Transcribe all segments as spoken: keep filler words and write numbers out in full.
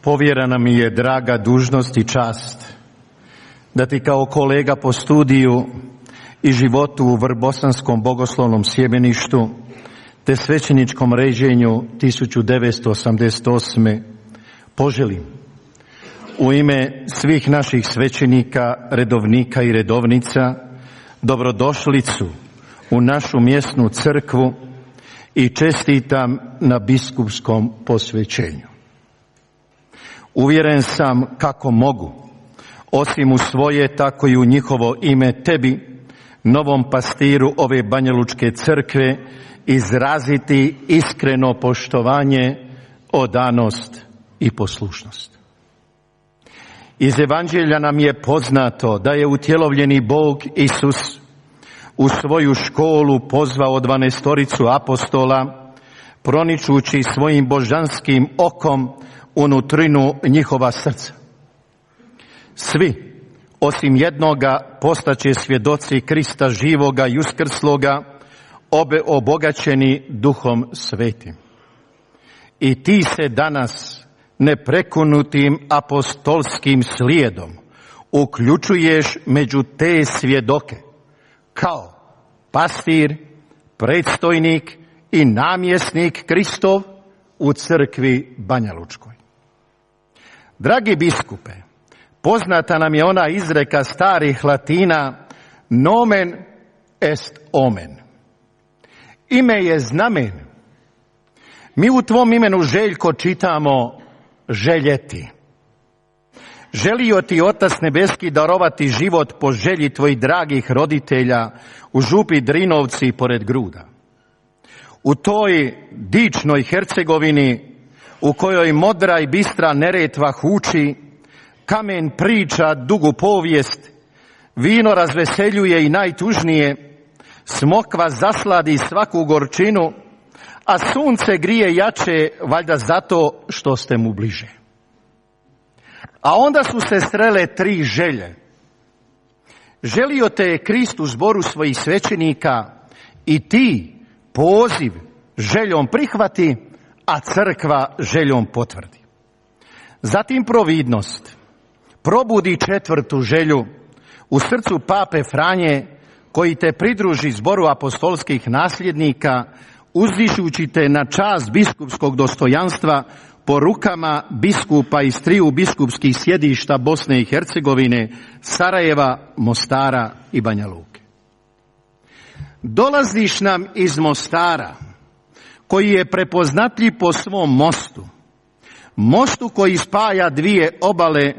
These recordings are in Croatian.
Povjerena mi je draga dužnost i čast da ti kao kolega po studiju i životu u Vrbosanskom bogoslovnom sjemeništu te svećeničkom ređenju tisuću devetsto osamdeset osme poželim u ime svih naših svećenika, redovnika i redovnica dobrodošlicu u našu mjesnu crkvu i čestitam na biskupskom posvećenju. Uvjeren sam kako mogu, osim u svoje, tako i u njihovo ime tebi, novom pastiru ove Banjalučke crkve, izraziti iskreno poštovanje, odanost i poslušnost. Iz Evanđelja nam je poznato da je utjelovljeni Bog Isus u svoju školu pozvao dvanaestoricu apostola, proničući svojim božanskim okom unutrinu njihova srca. Svi, osim jednoga, postaće svjedoci Krista živoga i uskrsloga, obe obogaćeni Duhom Svetim. I ti se danas neprekinutim apostolskim slijedom uključuješ među te svjedoke kao pastir, predstojnik i namjesnik Kristov u crkvi Banjalučkoj. Dragi biskupe, poznata nam je ona izreka starih Latina nomen est omen. Ime je znamen. Mi u tvom imenu, Željko, čitamo željeti. Želio ti Otac nebeski darovati život po želji tvojih dragih roditelja u župi Drinovci pored Gruda. U toj dičnoj Hercegovini u kojoj modra i bistra Neretva huči, kamen priča dugu povijest, vino razveseljuje i najtužnije, smokva zasladi svaku gorčinu, a sunce grije jače, valjda zato što ste mu bliže. A onda su se srele tri želje. Želio te je Krist u zboru svojih svećenika i ti poziv željom prihvati, a crkva željom potvrdi. Zatim providnost probudi četvrtu želju u srcu pape Franje, koji te pridruži zboru apostolskih nasljednika, uzdišući te na čast biskupskog dostojanstva po rukama biskupa iz triju biskupskih sjedišta Bosne i Hercegovine, Sarajeva, Mostara i Banja Luke. Dolaziš nam iz Mostara, koji je prepoznatljiv po svom mostu, mostu koji spaja dvije obale,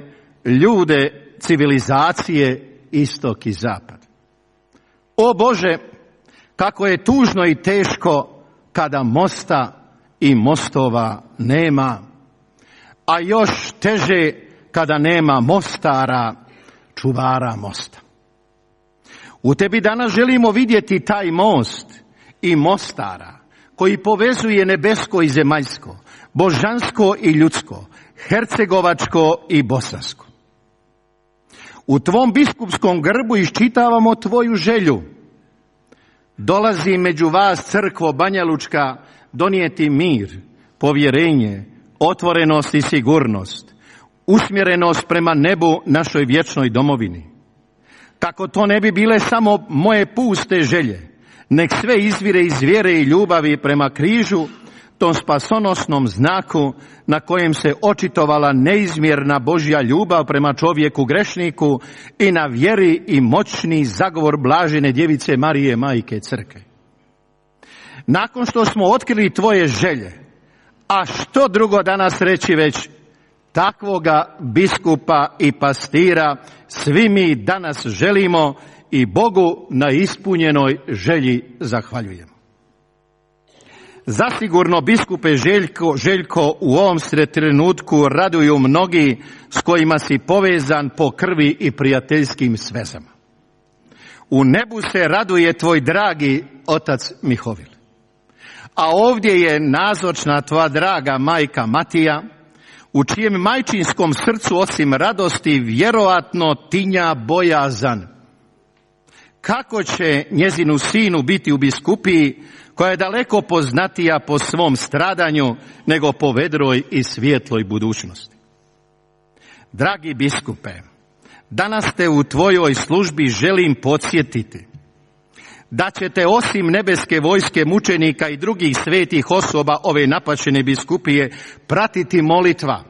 ljude, civilizacije, istok i zapad. O Bože, kako je tužno i teško kada mosta i mostova nema, a još teže kada nema mostara, čuvara mosta. U tebi danas želimo vidjeti taj most i mostara koji povezuje nebesko i zemaljsko, božansko i ljudsko, hercegovačko i bosansko. U tvom biskupskom grbu iščitavamo tvoju želju. Dolazi među vas, crkvo Banjalučka, donijeti mir, povjerenje, otvorenost i sigurnost, usmjerenost prema nebu, našoj vječnoj domovini. Kako to ne bi bile samo moje puste želje, nek sve izvire iz vjere i ljubavi prema križu, tom spasonosnom znaku na kojem se očitovala neizmjerna Božja ljubav prema čovjeku grešniku i na vjeri i moćni zagovor blažene djevice Marije, majke crkve. Nakon što smo otkrili tvoje želje, a što drugo danas reći već, takvoga biskupa i pastira svi mi danas želimo i Bogu na ispunjenoj želji zahvaljujemo. Zasigurno, biskupe Željko, Željko, u ovom se trenutku raduju mnogi s kojima si povezan po krvi i prijateljskim svezama. U nebu se raduje tvoj dragi otac Mihovil. A ovdje je nazočna tvoja draga majka Matija, u čijem majčinskom srcu osim radosti vjerovatno tinja bojazan. Kako će njezinu sinu biti u biskupiji, koja je daleko poznatija po svom stradanju nego po vedroj i svijetloj budućnosti? Dragi biskupe, danas te u tvojoj službi želim podsjetiti da ćete osim nebeske vojske mučenika i drugih svetih osoba ove napačene biskupije pratiti molitva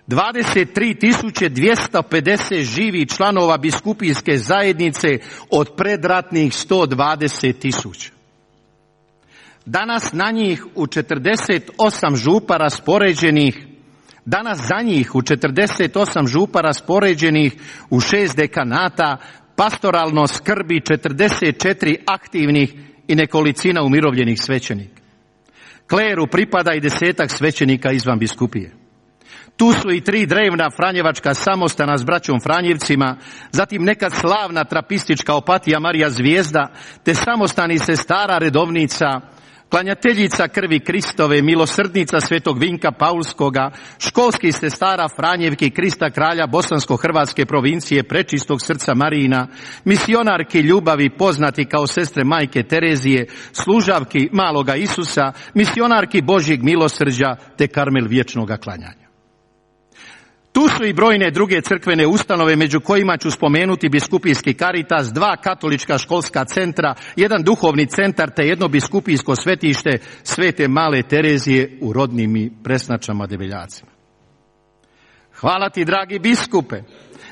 dvadeset tri tisuće dvjesto pedeset živih članova biskupijske zajednice od predratnih sto dvadeset tisuća. Danas na njih u četrdeset osam župa raspoređenih, danas za njih u četrdeset osam župa raspoređenih u šest dekanata pastoralno skrbi četrdeset četiri aktivnih i nekolicina umirovljenih svećenika. Kleru pripada i desetak svećenika izvan biskupije. Tu su i tri drevna franjevačka samostana s braćom Franjevcima, zatim nekad slavna trapistička Opatija Marija Zvijezda, te samostani sestara redovnica, klanjateljica krvi Kristove, milosrdnica svetog Vinka Paulskoga, školskih sestara Franjevki Krista kralja bosansko-hrvatske provincije Prečistog srca Marijina, misionarki ljubavi poznati kao sestre majke Terezije, služavki maloga Isusa, misionarki Božjeg milosrđa te Karmel vječnoga klanjanja. Tu su i brojne druge crkvene ustanove, među kojima ću spomenuti biskupijski Caritas, dva katolička školska centra, jedan duhovni centar te jedno biskupijsko svetište Svete Male Terezije u Rodnim i Presnačama Debeljacima. Hvala ti, dragi biskupe,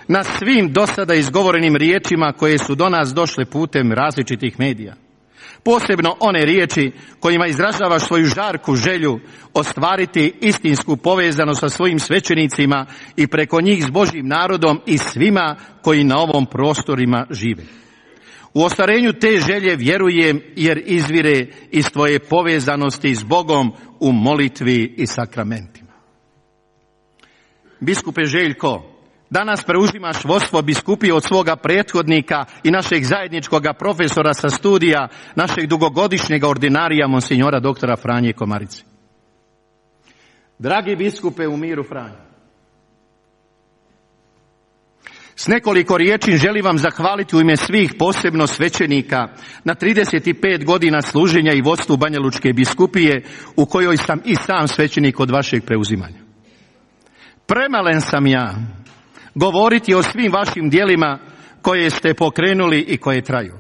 na svim dosada izgovorenim riječima koje su do nas došle putem različitih medija. Posebno one riječi kojima izražavaš svoju žarku želju ostvariti istinsku povezanost sa svojim svećenicima i preko njih s Božjim narodom i svima koji na ovom prostorima žive. U ostvarenju te želje vjerujem jer izvire iz tvoje povezanosti s Bogom u molitvi i sakramentima. Biskupe Željko, danas preuzimaš vodstvo biskupije od svoga prethodnika i našeg zajedničkog profesora sa studija, našeg dugogodišnjeg ordinarija, monsinjora doktora Franje Komarice. Dragi biskupe u miru Franje, s nekoliko riječi želim vam zahvaliti u ime svih, posebno svećenika, na trideset pet godina služenja i vodstvu Banjalučke biskupije, u kojoj sam i sam svećenik od vašeg preuzimanja. Premalen sam ja govoriti o svim vašim djelima koje ste pokrenuli i koje traju.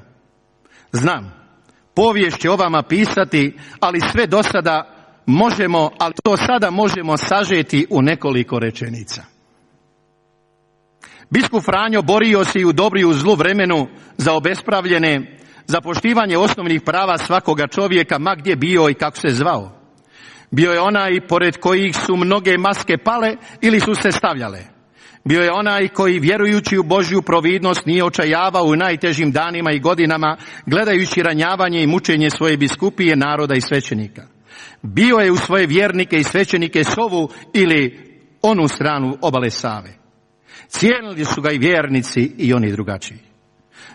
Znam, povijest će o vama pisati, ali sve do sada možemo, ali to sada možemo sažeti u nekoliko rečenica. Biskup Franjo borio se i u dobru i u zlu vremenu za obespravljene, za poštivanje osnovnih prava svakoga čovjeka, ma gdje bio i kako se zvao. Bio je onaj pored kojih su mnoge maske pale ili su se stavljale. Bio je onaj koji, vjerujući u Božju providnost, nije očajavao u najtežim danima i godinama, gledajući ranjavanje i mučenje svoje biskupije, naroda i svećenika. Bio je u svoje vjernike i svećenike s ovu ili onu stranu obale Save. Cijenili su ga i vjernici i oni drugačiji.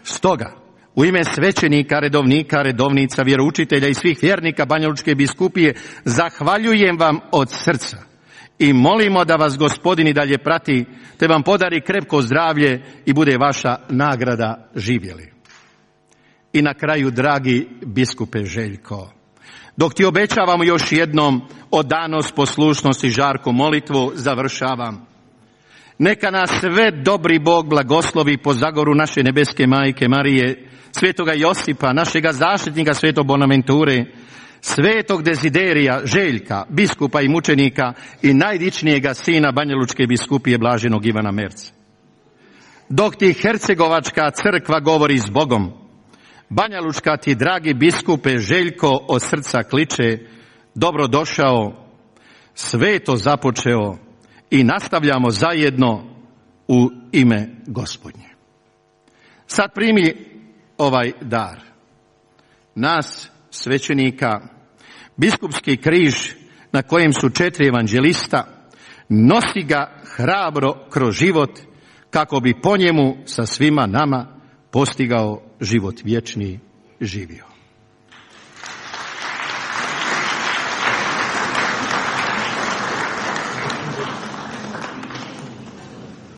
Stoga, u ime svećenika, redovnika, redovnica, vjeroučitelja i svih vjernika Banjalučke biskupije zahvaljujem vam od srca i molimo da vas Gospodin i dalje prati, te vam podari krepko zdravlje i bude vaša nagrada živjeli. I na kraju, dragi biskupe Željko, dok ti obećavamo još jednom odanost, poslušnost i žarku molitvu, završavam. Neka nas sve dobri Bog blagoslovi po zagoru naše nebeske majke Marije, svetoga Josipa, našega zaštitnika svetog Bonaventure, svetog Deziderija, Željka, biskupa i mučenika i najdičnijega sina Banjalučke biskupije blaženog Ivana Merca. Dok ti Hercegovačka crkva govori s Bogom, Banjalučka ti, dragi biskupe Željko, od srca kliče: dobrodošao, sveto započeo i nastavljamo zajedno u ime Gospodnje. Sad primi ovaj dar. Nas, svećenika, biskupski križ na kojem su četiri evanđelista, nosi ga hrabro kroz život kako bi po njemu sa svima nama postigao život vječni živio.